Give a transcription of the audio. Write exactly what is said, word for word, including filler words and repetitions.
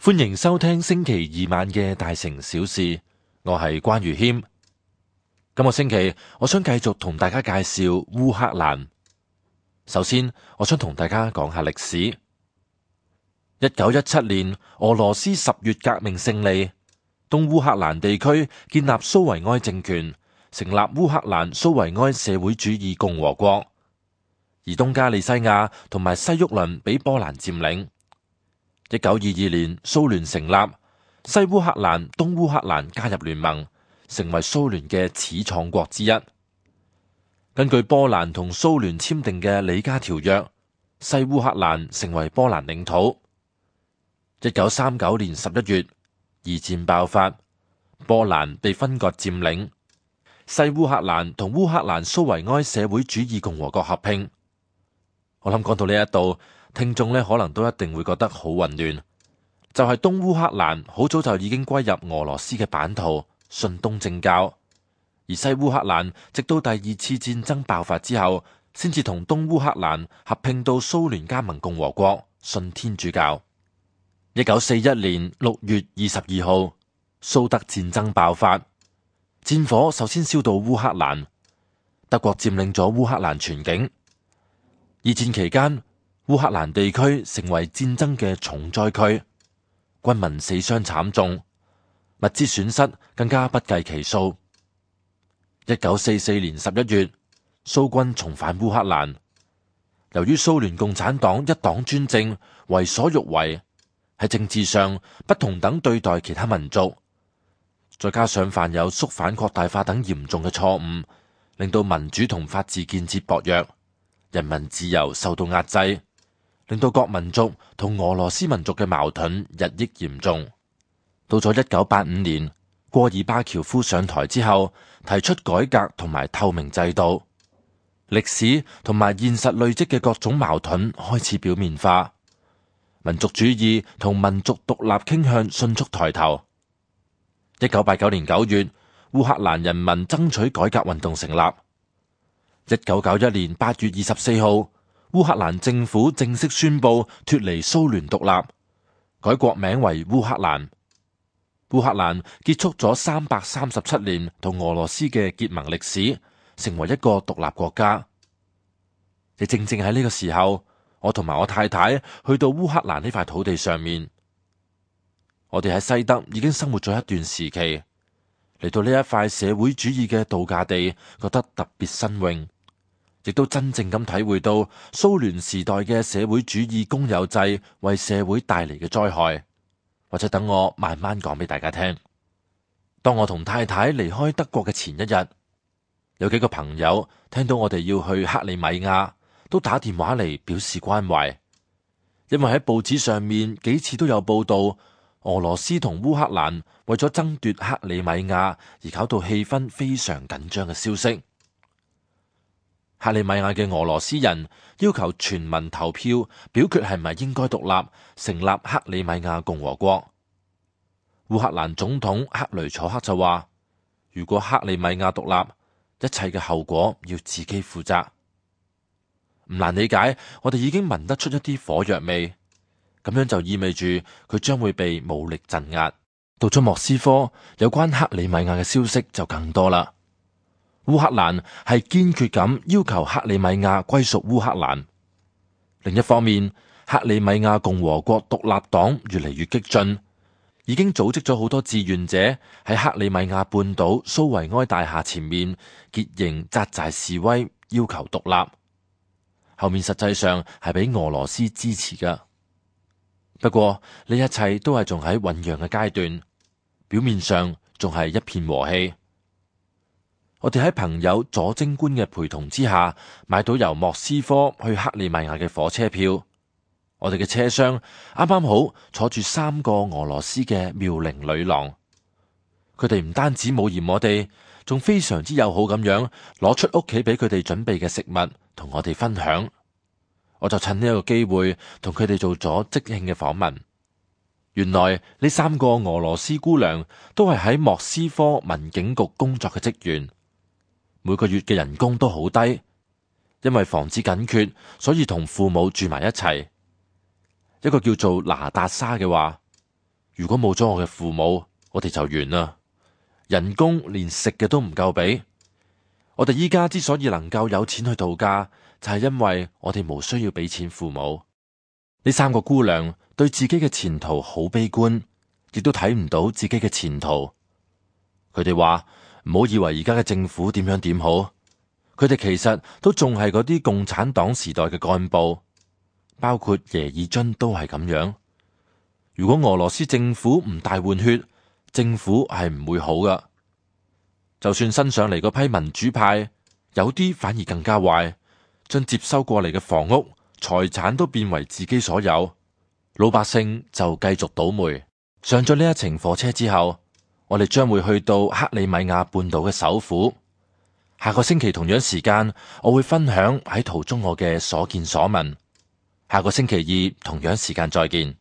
歡迎收聽星期二晚嘅大城小事，我係關如謙。今個星期我想繼續同大家介紹烏克蘭。首先，我想同大家講下歷史。一九一七年，俄羅斯十月革命勝利，東烏克蘭地區建立蘇維埃政權，成立烏克蘭蘇維埃社會主義共和國，而東加利西亞同埋西沃倫俾波蘭佔領。一九二二年，蘇聯成立，西烏克蘭、東烏克蘭加入聯盟，成為蘇聯嘅始創國之一。根據波蘭同蘇聯簽訂嘅里加條約，西烏克蘭成為波蘭領土。一九三九年十一月，二戰爆發，波蘭被分割佔領，西烏克蘭同烏克蘭蘇維埃社會主義共和國合併。我諗講到呢一度，聽眾呢可能都一定會覺得好混亂。就係東烏克蘭好早就已經歸入俄羅斯嘅版圖，信東正教；而西烏克蘭直到第二次戰爭爆發之後，先至同東烏克蘭合併到蘇聯加盟共和國，信天主教。一九四一年六月二十二號，蘇德戰爭爆發，戰火首先燒到烏克蘭，德國佔領咗烏克蘭全境。二戰期間，烏克蘭地區成為戰爭嘅重災區，軍民死傷慘重，物資損失更加不計其數。一九四四年十一月，蘇軍重返烏克蘭，由於蘇聯共產黨一黨專政，為所欲為，喺政治上不同等對待其他民族，再加上犯有肅反擴大化等嚴重嘅錯誤，令到民主同法治建設薄弱，人民自由受到壓制，令到各民族同俄羅斯民族嘅矛盾日益嚴重。到咗一九八五年，戈爾巴喬夫上台之後，提出改革同埋透明制度，歷史同埋現實累積嘅各種矛盾開始表面化，民族主義同民族獨立傾向迅速抬頭。一九八九年九月，烏克蘭人民爭取改革運動成立。一九九一年八月二十四號，烏克蘭政府正式宣布脫離蘇聯獨立，改國名為烏克蘭。烏克蘭結束咗三百三十七年同俄羅斯嘅結盟歷史，成為一個獨立國家。亦正正喺呢個時候，我同埋我太太去到烏克蘭呢塊土地上面。我哋喺西德已經生活咗一段時期，嚟到呢一塊社會主義嘅度假地，覺得特別新穎，亦都真正咁體會到蘇聯時代嘅社會主義公有制為社會帶嚟嘅災害。或者等我慢慢講俾大家聽。當我同太太離開德國嘅前一日，有幾個朋友聽到我哋要去克里米亞，都打電話嚟表示關懷，因為喺報紙上面幾次都有報道俄羅斯同烏克蘭為咗爭奪克里米亞而搞到氣氛非常緊張嘅消息。克里米亞嘅俄羅斯人要求全民投票，表決係咪應該獨立，成立克里米亞共和國。烏克蘭總統克雷楚克就話，如果克里米亞獨立，一切嘅後果要自己負責。唔難理解，我哋已經聞得出一啲火藥味，咁樣就意味住佢將會被武力鎮壓。到咗莫斯科，有關克里米亞嘅消息就更多啦。烏克蘭係堅決咁要求克里米亞歸屬烏克蘭。另一方面，克里米亞共和國獨立黨越嚟越激進，已經組織咗好多志願者喺克里米亞半島蘇維埃大廈前面結營紮寨示威，要求獨立。後面實際上係俾俄羅斯支持㗎。不過呢一切都係仲喺醞釀嘅階段，表面上仲係一片和氣。我哋喺朋友左貞觀嘅陪同之下，買到由莫斯科去克里米亞嘅火車票。我哋嘅車廂啱啱好坐住三個俄羅斯嘅妙齡女郎，佢哋唔單止冇嫌我哋，仲非常之友好咁樣攞出屋企俾佢哋準備嘅食物同我哋分享。我就趁呢一個機會同佢哋做咗即興嘅訪問。原來呢三個俄羅斯姑娘都係喺莫斯科民警局工作嘅職員。每個月嘅人工都好低，因為房子緊缺，所以同父母住埋一齊。一個叫做拿達莎嘅話，如果冇咗我嘅父母，我哋就完啦。人工連食嘅都唔夠俾。我哋依家之所以能夠有錢去度假，就係因為我哋無需要俾錢父母。呢三個姑娘對自己嘅前途好悲觀，亦都睇唔到自己嘅前途。佢哋話唔好以為而家嘅政府點樣點好，佢哋其實都仲係嗰啲共產黨時代嘅幹部，包括耶爾津都係咁樣。如果俄羅斯政府唔大換血，政府係唔會好噶。就算新上嚟嗰批民主派，有啲反而更加壞，將接收過嚟嘅房屋、財產都變為自己所有，老百姓就繼續倒霉。上咗呢一程火車之後，我哋將會去到克里米亞半島嘅首府。下個星期同樣時間，我會分享喺途中我嘅所見所聞。下個星期二同樣時間再見。